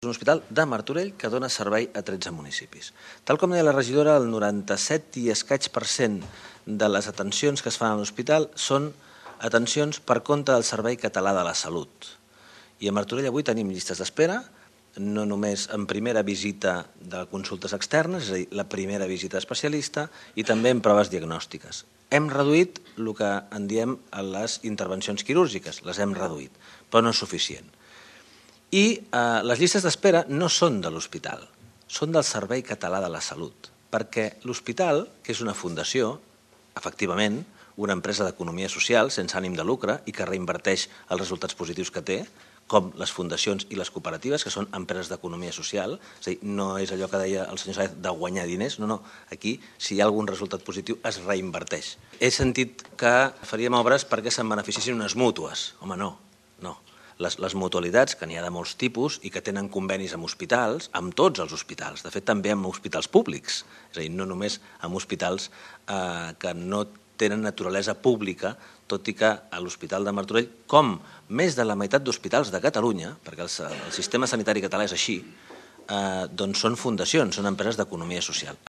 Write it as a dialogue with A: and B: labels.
A: És un hospital de Martorell que dona servei a 13 municipis. Tal com deia la regidora, el 97 i escaig % de les atencions que es fan a l'hospital són atencions per compte del Servei Català de la Salut. I a Martorell avui tenim llistes d'espera, no només en primera visita de consultes externes, és a dir, la primera visita especialista, i també en proves diagnòstiques. Hem reduït el que en diem les intervencions quirúrgiques, les hem reduït, però no és suficient. I les llistes d'espera no són de l'hospital, són del Servei Català de la Salut, perquè l'hospital, que és una fundació, efectivament, una empresa d'economia social sense ànim de lucre i que reinverteix els resultats positius que té, com les fundacions i les cooperatives, que són empreses d'economia social, és a dir, no és allò que deia el senyor Saez de guanyar diners, no, aquí, si hi ha algun resultat positiu, es reinverteix. He sentit que faríem obres perquè se'n beneficiessin unes mútues. Home, no. Les mutualitats, que n'hi ha de molts tipus i que tenen convenis amb hospitals, amb tots els hospitals, de fet també amb hospitals públics, és a dir, no només amb hospitals que no tenen naturalesa pública, tot i que a l'Hospital de Martorell, com més de la meitat d'hospitals de Catalunya, perquè el sistema sanitari català és així, doncs són fundacions, són empreses d'economia social.